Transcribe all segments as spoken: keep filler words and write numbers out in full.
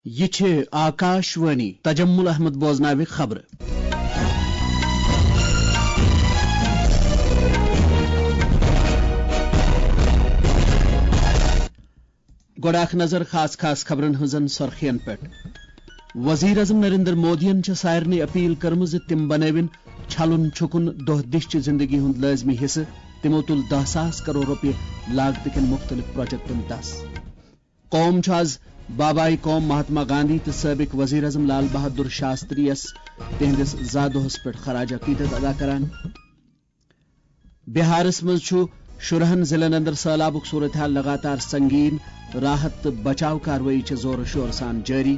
یہِ چھِ آکاش وانی۔ تجمل احمد بوزناوِ خبرٕ۔ گۄڈٕ اکھ نظر خاص خاص خبرن ہٕنٛزن سرخین پٮ۪ٹھ۔ وزیر اعظم نریندر مودیَن چھےٚ سارنٕے اپیل کٔرمٕژ زِ تِم بنٲوِن چھلُن چھُکُن دۄہ دِش چہِ زندگی ہُنٛد لٲزمی حصہٕ۔ تِمو تُل دَہ ساس کرور رۄپیہِ لاگتہٕ کٮ۪ن مُختٔلِف پروجیکٹن دَس۔ قوم چھُ آز بابائے قوم مہاتما گاندھی تہٕ سٲبق وزیر اعظم لال بہادر شاستری یَس تِہنٛدِس زا دۄہَس پٮ۪ٹھ خراج عقیدت ادا کران۔ بہارس منٛز چھُ شُرہن ضلعن اندر سٔہلابُک صورتحال لگاتار سنگین، راحت تہٕ بچاو کاروٲیی چھِ زورٕ شورٕ سان جٲری۔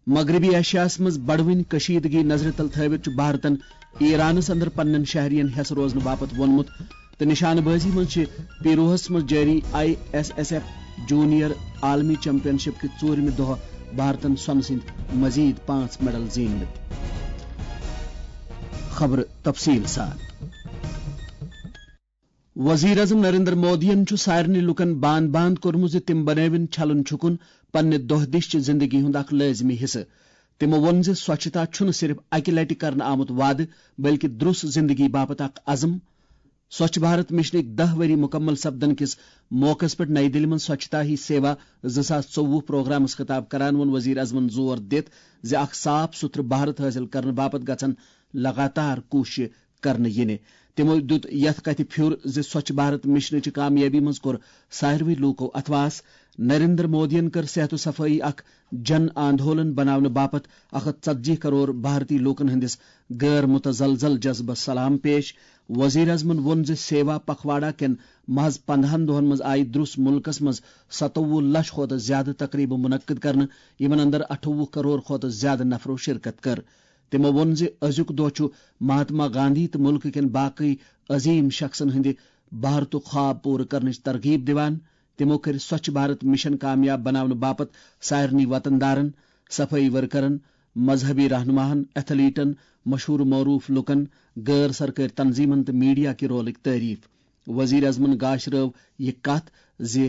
مغربی ایشیاہس منٛز بڑوٕنۍ کشیدگی نظرِ تل تھٲوِتھ چھُ بھارتن ایرانس اندر پننٮ۪ن شہرین ہٮ۪س روزنہٕ باپتھ ووٚنمُت تہٕ نشانہٕ بٲزی منٛز چھِ پیروہس منٛز جٲری I S S F junior عالمی چیمپین شپ کہِ ژوٗرمہِ دۄہ بھارتن سۄنہٕ سٕنٛدۍ مزید پانٛژھ میڈل زیٖنمٕتۍ۔ خبرٕ تفصیل سان۔ وزیر اعظم نریندر مودیَن چھُ سارنٕے لوٗکَن باند باند کوٚرمُت زِ تِم بنٲوِن چھلُن چھُکُن پننہِ دۄہ دِش چہِ زندگی ہُنٛد اکھ لٲزمی حصہٕ۔ تِمَو ووٚن زِ سۄچھتا چھُنہٕ صرف اَکہِ لٹہِ کرنہٕ آمُت وعدٕ، بلکہِ درُس زندگی باپتھ اکھ عزم۔ سوچھ بھارت مشنٕکۍ دَہ ؤری مُکمل سپدن کِس موقعس پٮ۪ٹھ نئی دِلہِ منٛز سوچھتا ہی سیوا زٕ ساس ژوٚوُہ پروگرامس خطاب کران ووٚن وزیر اعظمن زور دِتھ زِ اکھ صاف سُتھرٕ بھارت حٲصِل کرنہٕ باپتھ گژھن لگاتار کوٗششہٕ کرنہٕ یِنہِ۔ تِمو دیُت یَتھ کَتھِ پھیُر زِ سوچھ بھارت مشنٕچہِ کامیٲبی منٛز کوٚر ساروٕے لوٗکو اتھواس۔ نریندر مودیَن کٔر صحت و صفٲیی اکھ جن آندولن بناونہٕ باپتھ اکھ ہتھ ژتجی کرور بھارتی لوٗکن ہٕنٛدِس غٲر متزلزل جذبس سلام پیش۔ وزیر اعظمن ووٚن زِ سیوا پکھواڑا کٮ۪ن محض پندہن دۄہن منٛز آیہِ درُس مُلکس منٛز ستووُہ لچھ کھۄتہٕ زیادٕ تقریبہٕ منعقد کرنہٕ، یِمن اندر اٹھووُہ کرور کھۄتہٕ زیادٕ نفرو شرکت کٔر۔ تِمو ووٚن زِ أزیُک دۄہ چھُ مہاتما گاندھی تہٕ مُلکہٕ کٮ۪ن باقٕے عظیٖم شخصن ہٕنٛدِ بھارتُک خواب پوٗرٕ کرنٕچ ترغیب دِوان۔ تِمو کٔرۍ سوچھ بھارت مشن کامیاب بناونہٕ باپتھ سارنٕے وطن دارن، صفٲیی ورکرن، مذہبی رہنماہن، ایتھلیٹن، مشہوٗر معروٗف لوٗکن، غٲر سرکٲرۍ تنظیمن تہٕ میڈیا کہِ رولٕکۍ تعریف۔ وزیر اعظمن گاشرٲو یہِ کتھ زِ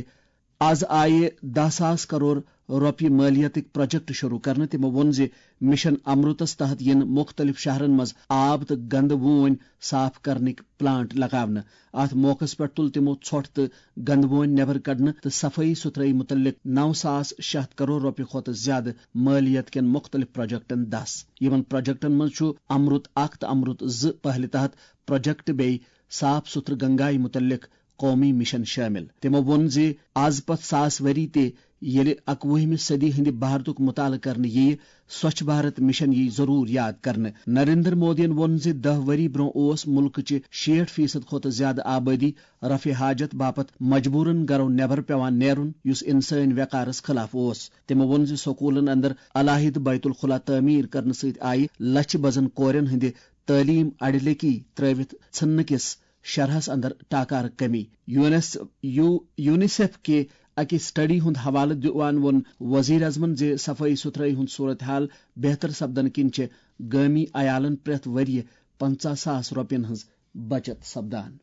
از آیہِ دَہ ساس کرور رۄپیہِ مٲلیتٕکۍ پروجیکٹ شروع کرنہٕ۔ تِمو ووٚن زِ مشن امرتس تحت یِن مُختٔلِف شہرن منٛز آب تہٕ گندٕ وونۍ صاف کرنٕکۍ پلانٹ لگاونہٕ۔ اتھ موقعس پٮ۪ٹھ تُل تِمو ژھۄٹھ تہٕ گندٕ وونۍ نٮ۪بر کڑنہٕ تہٕ صفٲیی ستھرٲیی مُتعلق نَو ساس شےٚ ہتھ کرور رۄپیہِ کھۄتہٕ زیادٕ مٲلیت کٮ۪ن مُختٔلِف پروجیکٹن دَس۔ یِمن پروجیکٹن منٛز چھُ امرت اکھ تہٕ امرت زٕ پہلہِ تحت پروجیکٹ بیٚیہِ صاف ستھرٕ گنگایہِ مُتعلق قومی مشن شٲمِل۔ تِمو ووٚن زِ از پتھ ساس ؤری تہِ ییٚلہِ اکوُہمہِ صدی ہٕنٛدِ بھارتُک مطالعہٕ کرنہٕ یِیہِ، سوچھ بھارت مشن یِیہِ ضروٗر یاد کرنہٕ۔ نریندر مودیَن ووٚن زِ دَہ ؤری برٛونٛہہ اوس مُلکٕچہِ شیٹھ فیصد کھۄتہٕ زیادٕ آبٲدی رفع حاجت باپتھ مجبوٗرن گرو نٮ۪بر پٮ۪وان نیرُن، یُس انسٲنی وقارس خلاف اوس۔ تِمو ووٚن زِ سکوٗلن اندر علاحدٕ بیت الخلا تعمیٖر کرنہٕ سۭتۍ آیہِ لچھِ بزن کورٮ۪ن ہٕنٛدِ تعلیٖم اڑِ لیٚکی ترٲوِتھ ژھٕننہٕ کِس شرحس اندر ٹاکارٕ کمی۔ یونس-، یو-، یونیسیف کہِ اکہِ سٹڈی ہُنٛد حوالہٕ دِوان ووٚن وزیر اعظمن زِ صفٲیی ستھرٲیی ہُنٛد صورتحال بہتر سپدنہٕ کِنۍ چھِ گٲمی عیالن پرٛٮ۪تھ ؤرۍ یہِ پنژاہ ساس رۄپین ہٕنٛز بچت سپدان۔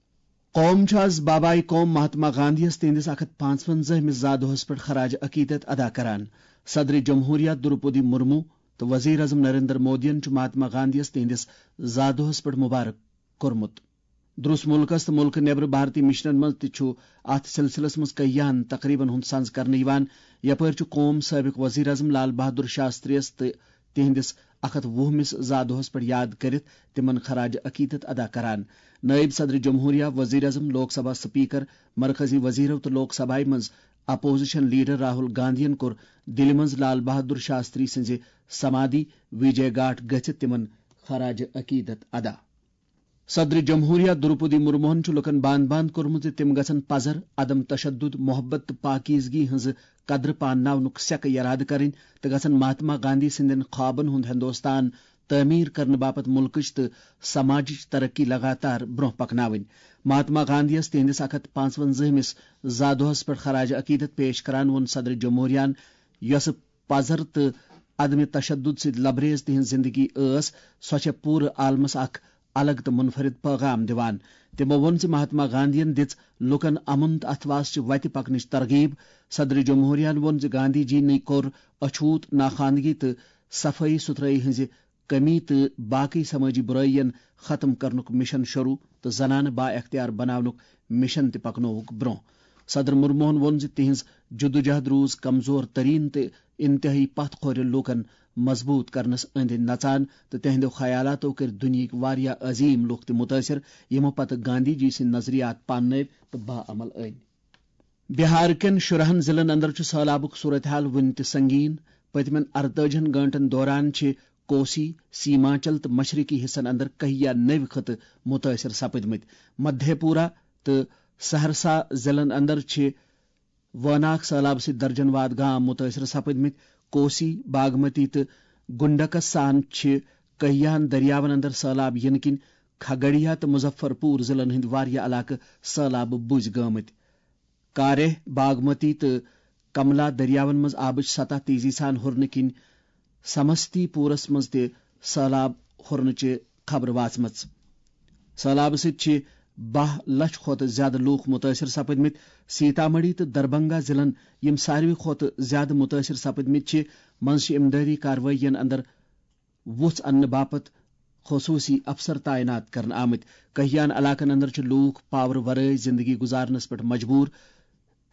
قوم چھُ از بابائے قوم مہاتما گاندھی یَس تِہنٛدِس اکھ ہتھ پانٛژونزٲہمِس زا دۄہس پٮ۪ٹھ خراج عقیدت ادا کران۔ صدر جمہوریہ دروپدی مرمو تہٕ وزیر اعظم نریندر مودیَن چھُ مہاتما گاندھی یَس تِہنٛدِس زا دۄہس پٮ۪ٹھ مبارک کوٚرمُت۔ درُس مُلکس تہٕ مُلکہٕ نٮ۪برٕ بھارتی مشنن منٛز تہِ چھُ اتھ سلسلس منٛز کیاہن تقریبن ہُنٛد سنز کرنہٕ یِوان، یپٲرۍ چھُ قوم سٲبق وزیر اعظم لال بہادر شاستری یَس تہٕ تِہنٛدِس اکھ ہتھ وُہمِس زا دۄہس پٮ۪ٹھ یاد کٔرِتھ تِمن خراج عقیدت ادا کران۔ نٲیِب صدر جمہوریہ، وزیر اعظم، لوک سبھا سپیکر، مرکزی وزیرو تہٕ لوک سبھایہ منٛز اپوزیشن لیڈر راہل گاندھین کوٚر دِلہِ منٛز لال بہادر شاستری سٕنٛزِ سمادھی وجے گھاٹ گٔژھِتھ تِمن خراج عقیدت ادا۔ صدر جمہوریہ دروپدی مرموہن چھُ لوٗکَن باند باند کوٚرمُت زِ تِم گژھن پزر، عدم تشدد، محبت تہٕ پاکیزگی ہٕنٛز قدر پانناونُک سیکہٕ یرادٕ کرٕنۍ تہٕ گژھن مہاتما گاندھی سٕنٛدٮ۪ن خوابن ہُنٛد ہندوستان تعمیٖر کرنہٕ باپتھ مُلکٕچ تہٕ سماجٕچ ترقی لگاتار برٛونٛہہ پکناوٕنۍ۔ مہاتما گاندھی یَس تِہنٛدِس اکھ ہتھ پانٛژونزٲہمِس زا دۄہس پٮ۪ٹھ خراج عقیدت پیش کران ووٚن صدر جمہوریہن، یۄسہٕ پزر تہٕ عدم تشدد سۭتۍ لبریز تِہنٛز زندگی ٲس، سۄ چھےٚ پوٗرٕ عالمس اکھ الگ تہٕ منفرد پیغام دِوان۔ تِمو ووٚن زِ مہاتما گاندھین دِژ لوٗکن امن تہٕ اتھواس چہِ وتہِ پکنٕچ ترغیب۔ صدر جمہوریہن ووٚن زِ گاندھی جی نٕے کوٚر اچھوت، ناخواندگی تہٕ صفٲیی ستھرٲیی ہٕنٛزِ کمی تہٕ باقی سمٲجی برٲیین ختم کرنُک مشن شروع تہٕ زنانہٕ با اختیار بناونُک مشن تہِ پکنووُکھ برونٛہہ۔ صدر مرموہن ووٚن زِ تِہنٛز جدوجہد روٗز کمزور ترین تہٕ انتہٲئی پتھ کھورِ لوٗکن مضبوٗط کرنس أنٛدۍ أنٛدۍ نژان تہٕ تِہنٛدیو خیالاتو کٔرۍ دُنیہٕکۍ واریاہ عظیٖم لوٗکھ تہِ مُتٲثِر، یِمو پتہٕ گاندھی جی سٕنٛدۍ نظریات پاننٲوۍ تہٕ باعمل أنۍ۔ بہار کٮ۪ن شُرہن ضلعن اندر چھُ سٔہلابُک صورتحال وُنہِ تہِ سنگین۔ پٔتمٮ۪ن اَرتٲجِہن گٲنٛٹن دوران چھِ کوسی، سیمانچل تہٕ مشرقی حصن اندر کہیا نٔوۍ خطہٕ مُتٲثِر سپٕدمٕتۍ۔ مدھے پورہ تہٕ سہرسہ ضلعن اندر چھِ وٲناکھ سٔہلابہٕ سۭتۍ درجن واد گام مُتٲثِر سپٕدمٕتۍ۔ کوسی، باگمتی تہٕ گنڈکس سان چھِ کہیاہن دٔریاون اندر سٔہلاب یِنہٕ کِنۍ کھگڑیا تہٕ مظفر پور ضلعن ہٕنٛدۍ واریاہ علاقہٕ سٔہلابہٕ بُزۍ گٲمٕتۍ۔ کارہ، باگمتی تہٕ کملا دٔریاون منٛز آبٕچ سطح تیزی سان ہُرنہٕ کِنۍ سمستی پورس منٛز تہِ سٔہلاب ہُرنٕچہِ خبرٕ واژمٕژ۔ سٔہلابہٕ سۭتۍ چھِ باہ لچھ کھۄتہٕ زیادٕ لوٗکھ مُتٲثِر سپٕدمٕتۍ۔ سیتامڑھی تہٕ دربھنگہ ضلعن، یِم ساروی کھۄتہٕ زیادٕ مُتٲثِر سپٕدمٕتۍ چھِ، منٛز چھِ امدادی کاروٲیین اندر وُژھ اننہٕ باپتھ خصوٗصی افسر تعینات کرنہٕ آمٕتۍ۔ کہیان علاقن اندر چھِ لوٗکھ پاورٕ ورٲے زندگی گُزارنس پٮ۪ٹھ مجبوٗر۔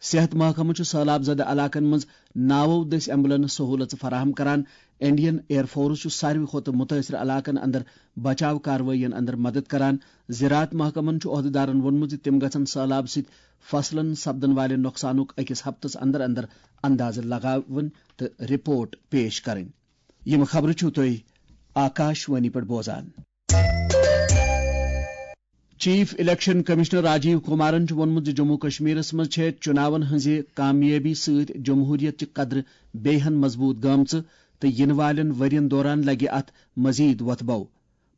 صحت محکمہٕ چھُ سٔہلاب زدٕ علاقن منٛز ناوو دٔسۍ ایمبولینس سہوٗلژٕ فراہم کران۔ انڈین ایئر فورس چھُ ساروی کھۄتہٕ مُتٲثِر علاقن اندر بچاو کاروٲیین اندر مدد کران۔ زراعت محکمن چھُ عہدٕدارن ووٚنمُت زِ تِم گژھن سٔہلاب سۭتۍ فصلن سپدن والہِ نۄقصانُک أکِس ہفتس اندر اندر اندازٕ لگاوٕنۍ تہٕ رپورٹ پیش کرٕنۍ۔ یِم خبرٕ چھِو تُہۍ آکاش وانی پٮ۪ٹھ بوزان۔ Chief election commissioner Rajiv Kumaran چھُ ووٚنمُت زِ جموں کشمیرس منٛز چھےٚ چُناون ہٕنٛزِ کامیٲبی سۭتۍ جمہوریت چہِ قدرٕ بیٚیہِ ہن مضبوٗط گٲمژٕ تہٕ یِنہٕ والٮ۪ن ؤرین دوران لگہِ اتھ مزید وۄتھٕ بو۔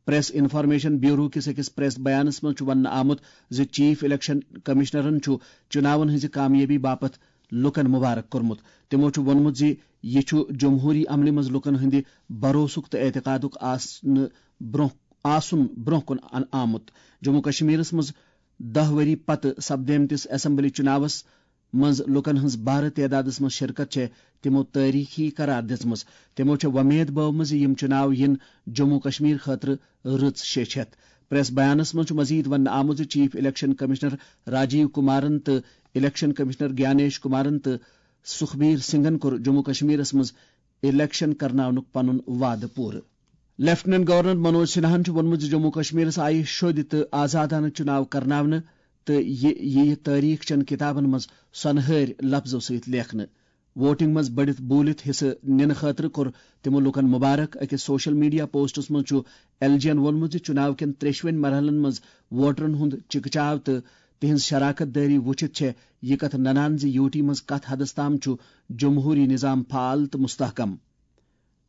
پریس انفارمیشن بیورو کِس أکِس پریس بیانس منٛز چھُ وننہٕ آمُت زِ چیف الیکشن کمشنرن چھُ چُناون ہٕنٛزِ کامیٲبی باپتھ لوٗکن مبارک کوٚرمُت۔ تِمو چھُ ووٚنمُت زِ یہِ چھُ جمہوٗری عملہِ منٛز لوٗکن ہٕنٛدِ بھروسُک تہٕ اعتقادُک آسنہٕ برونٛہہ، آسُن برونٛہہ کُن ان-، آمُت۔ جموں کشمیرس منٛز دَہ ؤری پتہٕ سپدیمتِس اسمبلی چُناوس منٛز لوٗکن ہٕنٛز بارٕ تعدادس منٛز شرکت چھےٚ تِمو تٲریخی قرار دِژمٕژ۔ تِمو چھےٚ وۄمید بٲومٕژ زِ یِم چُناو یِن جموں کشمیر خٲطرٕ رٕژ شیٚچھ ہٮ۪تھ۔ پریس بیانس منٛز چھُ مزید وننہٕ آمُت زِ chief election commissioner Rajiv Kumaran تہٕ الیکشن کمشنر گیانیش کمارن تہٕ سُکھبیر سنگھن کوٚر جموں کشمیرس منٛز الیکشن کرناونُک پنُن وعدٕ پوٗرٕ۔ لیفٹیننٹ گورنر منوج سنہاہن چھُ ووٚنمُت زِ جموں کشمیرس آیہِ شوٚدۍ تہٕ آزادانہٕ چُناو کرناونہٕ تہٕ یہِ یِیہِ تٲریخ چٮ۪ن کِتابن منٛز سۄنہٕ ہٲرۍ لفظو سۭتۍ لیکھنہٕ۔ ووٹنگ منٛز بٔڑِتھ بوٗلِتھ حصہٕ نِنہٕ خٲطرٕ کوٚر تِمو لوٗکن مبارک۔ أکِس سوشل میڈیا پوسٹس منٛز چھُ ایل جی ین ووٚنمُت زِ چُناو کٮ۪ن ترٛیٚشوٕنۍ مرحلن منٛز ووٹرن ہُنٛد چِکہٕ چاو تہٕ تِہنٛز شراکت دٲری وُچھِتھ چھےٚ یہِ کتھ ننان زِ یوٗ ٹی منٛز کتھ حدس تام چھُ جمہوٗری نظام فعال تہٕ مستحکم۔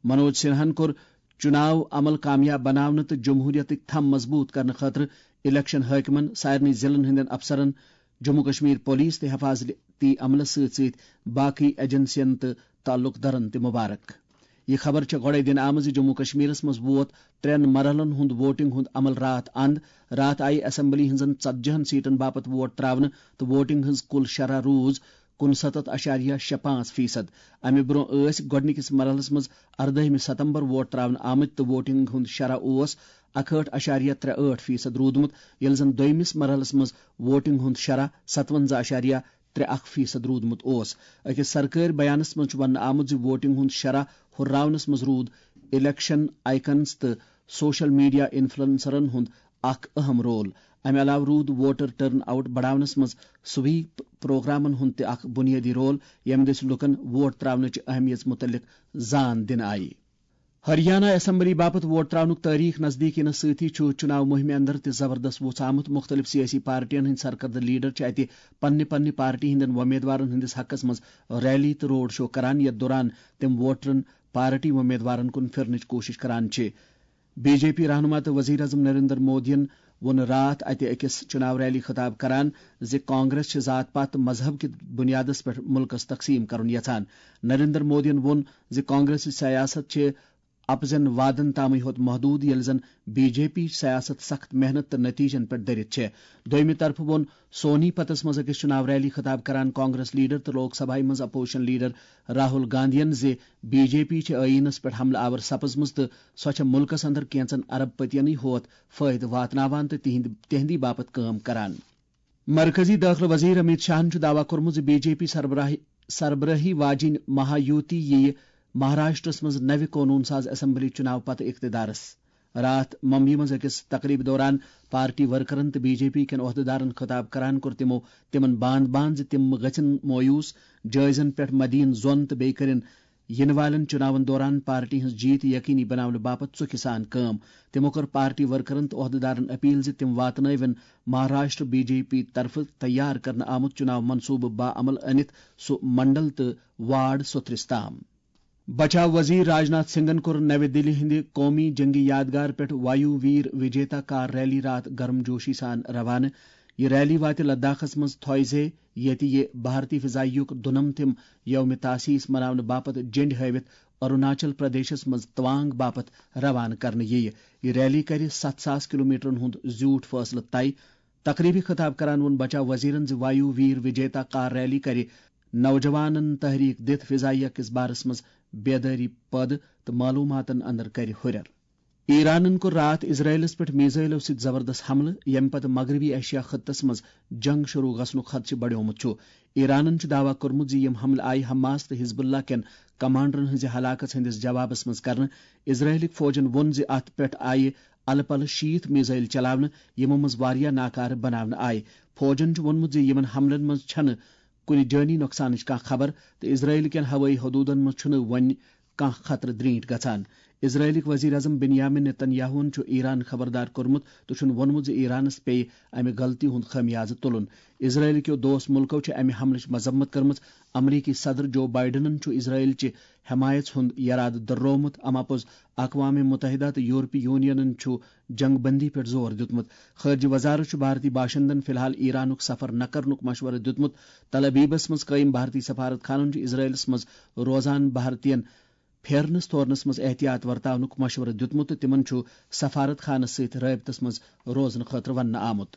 منوج سنہاہن کوٚر چُناو عمل کامیاب بناونہٕ تہٕ جمہوٗرِیتٕکۍ تھم مضبوٗط کرنہٕ خٲطرٕ الیکشن حٲکمن، سارنٕے ضلعن ہٕنٛدٮ۪ن افسرن، جموں کشمیر پولیس تہٕ حفاظتی عملس سۭتۍ سۭتۍ باقٕے ایجنسین تہٕ تعلق دارن تہِ مبارک۔ یہِ خبر چھےٚ گۄڈَے دِنہٕ آمٕژ زِ جموں کشمیرس منٛز ووت ترٛٮ۪ن مرحلن ہُنٛد ووٹنگ ہُنٛد عمل راتھ اند۔ راتھ آیہِ اسمبلی ہٕنٛزن ژتجی ہن سیٹن باپتھ ووٹ تراونہٕ تہٕ ووٹنگ ہٕنٛز کُل شرح روٗز کُنسَتتھ اَشاریہ شےٚ پانٛژھ فیصد۔ امہِ برونٛہہ ٲسۍ گۄڈٕنِکِس مرحلس منٛز اردٲہمہِ ستمبر ووٹ تراونہٕ آمٕتۍ تہٕ ووٹنگ ہُنٛد شرح اوس اکہٲٹھ اَشاریہ ترٛےٚ ٲٹھ فیصد روٗدمُت، ییٚلہِ زن دوٚیمِس مرحلس منٛز ووٹنگ ہُنٛد شرح ستونزہ اَشاریہ ترٛےٚ اکھ فیصد روٗدمُت اوس۔ أکِس سرکٲرۍ بیانس منٛز چھُ وننہٕ آمُت زِ ووٹنگ ہُنٛد شرح ہُرراونس منٛز روٗد الیکشن آئیکنز تہٕ سوشل میڈیا انفلوئنسرن ہُنٛد اکھ اہم رول۔ امہِ علاوٕ روٗد ووٹر ٹرن آؤٹ بڑاونس منٛز سویپ پروگرامن ہُنٛد تہِ اکھ بُنیٲدی رول، ییٚمہِ دٔسۍ لوٗکن ووٹ تراونٕچ اہمیت مُتعلق زان دِنہٕ آیہِ۔ ہریانہ اسمبلی باپتھ ووٹ تراونُک تٲریخ نزدیٖک یِنس سۭتی چھُ چُناو مُہِمہِ اندر تہِ زبردست وُژھ آمُت۔ مُختٔلِف سیٲسی پارٹین ہٕنٛدۍ سرکردٕ لیڈر چھِ اتہِ پننہِ پننہِ پارٹی ہٕنٛدٮ۪ن وۄمیدوارن ہٕنٛدِس حقس منٛز ریلی تہٕ روڈ شو کران، یتھ دوران تِم ووٹرن پارٹی وۄمیدوارن کُن پھِرنٕچ کوٗشش کران چھِ۔ بی جے پی رہنما تہٕ وزیر اعظم نریندر مودیَن ووٚن راتھ اتہِ أکِس چُناو ریلی خطاب کران زِ کانگریس چھِ ذات پات تہٕ مذہب کِس بُنیادس پٮ۪ٹھ مُلکَس تقسیٖم کرُن یژھان۔ نریندر مودیَن ووٚن زِ کانگریسٕچ سیاست چھِ اپزن وعدن تامٕے ہوت محدود، ییٚلہِ زن بی جے پی سیاست سخت محنت تہٕ نتیجن پٮ۪ٹھ دٔرِتھ چھےٚ۔ دوٚیمہِ طرفہٕ ووٚن سونی پتس منٛز أکِس چُناو ریلی خطاب کران کانگریس لیڈر تہٕ لوک سبھایہ منٛز اپوزیشن لیڈر راہل گاندھین زِ بی جے پی چھےٚ ٲییٖنس پٮ۪ٹھ حملہٕ آور سپٕزمٕژ تہٕ سۄ چھےٚ مُلکس اندر کینژن ارب پتینٕے ہوت فٲیدٕ واتناوان تہٕ تِہنٛدِ، تِہنٛدی باپتھ کٲم کران۔ مرکزی دٲخلہٕ وزیر امیت شاہن چھُ دعویٰ کوٚرمُت زِ بی جے پی سربراہی، سربرٲہی واجِنۍ مہایوتی یِیہِ مہاراشٹرس منٛز نوِ قونوٗن ساز اسمبلی چُناو پتہٕ اقتدارس۔ راتھ ممبیہِ منٛز أکِس تقریبہِ دوران پارٹی ورکرن تہٕ بی جے پی کٮ۪ن عہدٕدارن خطاب کران کوٚر تِمو تِمن باند باند زِ تِم گژھن مویوٗس جٲیزن پٮ۪ٹھ مدین ظۄن تہٕ بیٚیہِ کٔرِن یِنہٕ والٮ۪ن چُناون دوران پارٹی ہٕنٛز جیٖت یقینی بناونہٕ باپتھ ژُکھِ سان کٲم۔ تِمو کٔر پارٹی ورکرن تہٕ عہدٕدارن اپیل زِ تِم واتنٲوِن مہاراشٹر بی جے پی طرفہٕ تیار کرنہٕ آمُت چُناو منصوٗبہٕ باعمل أنِتھ سُہ منڈل تہٕ وارڈ سوٚتھرِس تام۔ بچاو وزیر راجناتھ سنگھن کوٚر نوِ دِلہِ ہٕنٛدِ قومی جنگی یادگار پٮ۪ٹھ وایو ویر وجیتا کار ریلی راتھ گرم جوشی سان روانہٕ۔ یہِ ریلی واتہِ لداخس منٛز تھویزے، ییٚتہِ یہِ بھارتی فضائیہُک دُنمتھم یوم تاسیس مناونہٕ باپتھ جنڈ ہٲوِتھ اروناچل پردیشس منٛز توانگ باپتھ روانہٕ کرنہٕ یِیہِ۔ یہِ ریلی کرِ ستھ ساس کلومیٹرن ہُنٛد زیوٗٹھ فٲصلہٕ طے۔ تقریبہِ خطاب کران ووٚن بچاو وزیرن زِ وایو ویر وجیتا کار ریلی کرِ نوجوانن تحریک دِتھ فضائیہ کِس بارس منٛز بیدٲری پٲدٕ تہٕ معلوماتن اندر کرِ ہُرٮ۪ر۔ ایرانن کوٚر راتھ اسرائیلس پٮ۪ٹھ میزائلو سۭتۍ زبردست حملہٕ، ییٚمہِ پتہٕ مغربی ایشیا خطس منٛز جنگ شروع گژھنُک خدشہٕ بڑیومُت چھُ۔ ایرانن چھُ دعویٰ کوٚرمُت زِ یِم حملہٕ آیہِ حماس تہٕ حزب اللہ کٮ۪ن کمانڈرن ہٕنٛزِ ہلاکت ہٕنٛدِس جوابس منٛز کرنہٕ۔ اسرائیلٕکۍ فوجن ووٚن زِ اتھ پٮ۪ٹھ آیہِ الہٕ پلہٕ شیٖتھ میزائل چلاونہٕ، یِمو منٛز واریاہ ناکارٕ بناونہٕ آیہِ۔ فوجن چھُ ووٚنمُت زِ یِمن حملن منٛز چھنہٕ کُنہِ جٲنی نۄقصانٕچ کانٛہہ خبر تہٕ اسرائیل کٮ۪ن ہوٲیی حدوٗدن منٛز چھُنہٕ وۄنۍ کانٛہہ خطرٕ درینٹھ گژھان۔ اسرائیلٕکۍ وزیر اعظم بنیامین نیتن یاہوہن چھُ ایران خبردار کوٚرمُت تہٕ چھُن ووٚنمُت زِ ایرانس پیٚیہِ امہِ غلطی ہُنٛد خٲمیازٕ تُلُن۔ اسرائیل کیو دوست مُلکو چھِ امہِ حملٕچ مذمت کٔرمٕژ۔ امریکی صدر جو بائیڈنن چھُ اسرائیل چہِ حمایژ ہُنٛد یرادٕ دۄہرومُت۔ اما پوٚز اقوام متحدہ تہٕ یورپی یونینن چھُ جنگ بندی پٮ۪ٹھ زور دیُتمُت۔ خارجہ وزارت چھُ بھارتی باشندن فی الحال ایرانُک سفر نہ کرنُک مشورٕ دیُتمُت۔ تل ابیبس منٛز قٲیِم بھارتی سفارت خانن چھُ اسرائیلس منٛز روزان بھارتین پھیرنس تھورنس منٛز احتیاط ورتاونُک مشورٕ دیُتمُت تہٕ تِمن چھُ سفارت خانس سۭتۍ رٲبطس منٛز روزنہٕ خٲطرٕ وننہٕ آمُت۔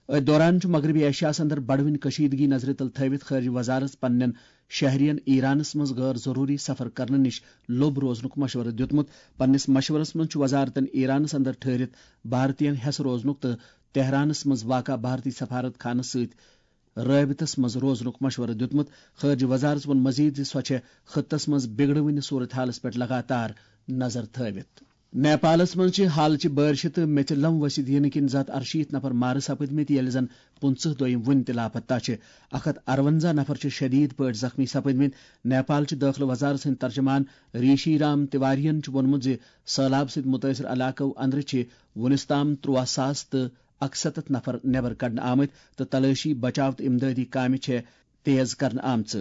أتھۍ دوران چھُ مغربی ایشیاہس اندر بڑوٕنۍ کشیدگی نظرِ تل تھٲوِتھ خارجہ وزارت پننٮ۪ن شہرین ایرانس منٛز غٲر ضروٗری سفر کرنہٕ نِش لوٚب روزنُک مشورٕ دیُتمُت۔ پننِس مشورس منٛز چھُ وزارتن ایرانس اندر ٹھہرِتھ بھارتین ہٮ۪س روزنُک تہٕ تہرانس منٛز واقع بھارتی سفارت خانس سۭتۍ رٲبطس منٛز روزنُک مشورٕ دیُتمُت۔ خارجہ وزارت ووٚن مزید زِ سۄ چھےٚ خطس منٛز بگڑوٕنہِ صورت حالس پٮ۪ٹھ لگاتار نظر تھٲوِتھ۔ نیپالس منٛز چھِ حالچہِ بارشہِ تہٕ میٚژِ لم ؤسِتھ یِنہٕ کِنۍ زٕ ہتھ ارشیٖتھ نفر مارٕ سپٕدمٕتۍ، ییٚلہِ زن پٕنٛژٕہ دوٚیِم وُنہِ تہِ لاپتہ چھِ۔ اکھ ہتھ ارونزاہ نفر چھِ شدید پٲٹھۍ زخمی سپٕدمٕتۍ۔ نیپال چہِ دٲخلہٕ وزارت سٕنٛدۍ ترجمان ریشی رام تیواریَن چھُ ووٚنمُت زِ سٔہلاب سۭتۍ مُتٲثر علاقو أنٛدرٕ چھِ وُنِس تام ترٛواہ ساس تہٕ اکسَتتھ نفر نٮ۪بر کڑنہٕ آمٕتۍ تہٕ تلٲشی، بچاو تہٕ امدادی کامہِ چھےٚ تیز کرنہٕ آمژٕ۔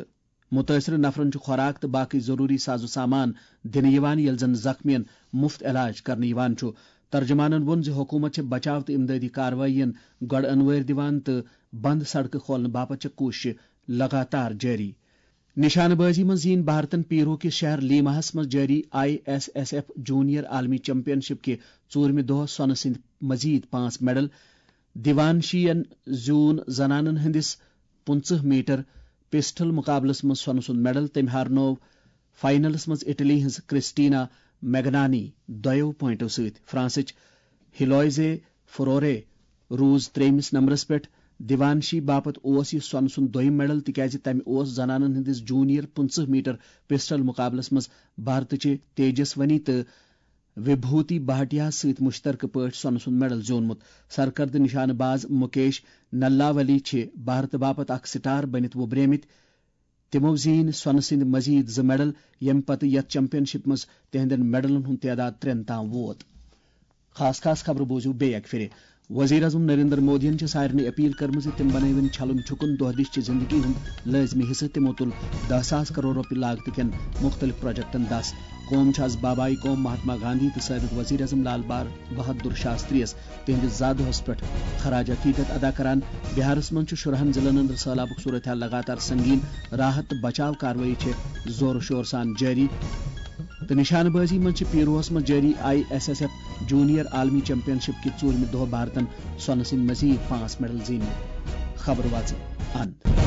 مُتٲثرٕ نفرن چھُ خوراک تہٕ باقٕے ضروٗری ساز و سامان دِنہٕ یِوان، ییٚلہِ زن زخمیَن مُفت علاج کرنہٕ یِوان چھُ۔ ترجمانَن ووٚن زِ حکوٗمت چھےٚ بچاو تہٕ امدادی کاروٲیین گۄڈٕ انوٲرۍ دِوان تہٕ بند سڑکہٕ کھولنہٕ باپتھ چھےٚ کوٗششہٕ لگاتار جٲری۔ نشانہٕ بازی منٛز زیٖنۍ بھارتن پیرو کِس شہر لیماہَس منٛز جٲری I S S F junior عالمی چیمپین شپ کہِ ژوٗرمہِ دۄہ سۄنہٕ سٕنٛدۍ مزید پانٛژھ میڈل۔ دیوانشیَن زیوٗن زنانن ہٕنٛدِس پٕنٛژٕہ میٹر پسٹل مقابلس منٛز سۄنہٕ سُنٛد میڈل۔ تٔمۍ ہارنوو فائنلس منٛز اٹلی ہٕنٛز کرسٹینا میگنانی دۄیو پوینٹو سۭتۍ۔ فرانسٕچ ہیلویزے فرورے روٗز ترٛیٚیمِس نمبرس پٮ۪ٹھ۔ دیوانشی باپتھ اوس یہِ سۄنہٕ سُنٛد دوٚیِم میڈل، تِکیازِ تمہِ اوس زنانن ہٕنٛدِس جونیئر پٕنٛژٕہ میٹر پسٹل مقابلس منٛز بھارتٕچہِ تیجسونی تہٕ وبھوتی بھاٹیاہَس سۭتۍ مشترکہٕ پٲٹھۍ سۄنہٕ سُنٛد میڈل زیوٗنمُت۔ سرکردٕ نشانہٕ باز مُکیش نلاولی چھِ بھارتہٕ باپتھ اکھ سٹار بٔنِتھ وُبریمٕتۍ۔ تِمَو زیٖنۍ سۄنہٕ سٕنٛدۍ مزید زٕ میڈل، ییٚمہِ پتہٕ یَتھ چیمپین شپ منٛز تِہنٛدٮ۪ن میڈلن ہُنٛد تعداد ترٛٮ۪ن تام ووت۔ خاص خاص خبرٕ بوٗزِو بیٚیہِ اکہِ پھِرِ۔ وزیر اعظم نریندر مودیَن چھِ سارنٕے اپیل کٔرمٕژ زِ تِم بنٲوِن چھلُن چھُکُن دۄہ دِش چہِ زندگی ہُنٛد لٲزمی حصہٕ۔ تِمو تُل دَہ ساس کرور رۄپیہِ لاگتہٕ کٮ۪ن مُختٔلِف پروجیکٹَن دَس۔ قوم چھُ از بابائی قوم مہاتما گاندھی تہٕ سٲبِق وزیر اعظم لال بہادر شاستری یَس تِہنٛدِس زا دۄہَس پٮ۪ٹھ خراج عقیدت ادا کران۔ بہارَس منٛز چھُ شُرہَن ضلعن اندر سٔہلابُک صورت حال لگاتار سنگین۔ راحت تہٕ بچاو کاروٲیی چھِ زور و شور سان جٲری۔ تہٕ نشانہٕ بٲزی منٛز چھِ پیروہس منٛز جٲری I S S F junior عالمی چیمپین شپ کہِ ژوٗرمہِ دۄہ بھارتن سۄنہٕ سٕنٛدۍ مزید پانٛژھ میڈل زیٖنمٕتۍ۔ خبرٕ واژٕ اند۔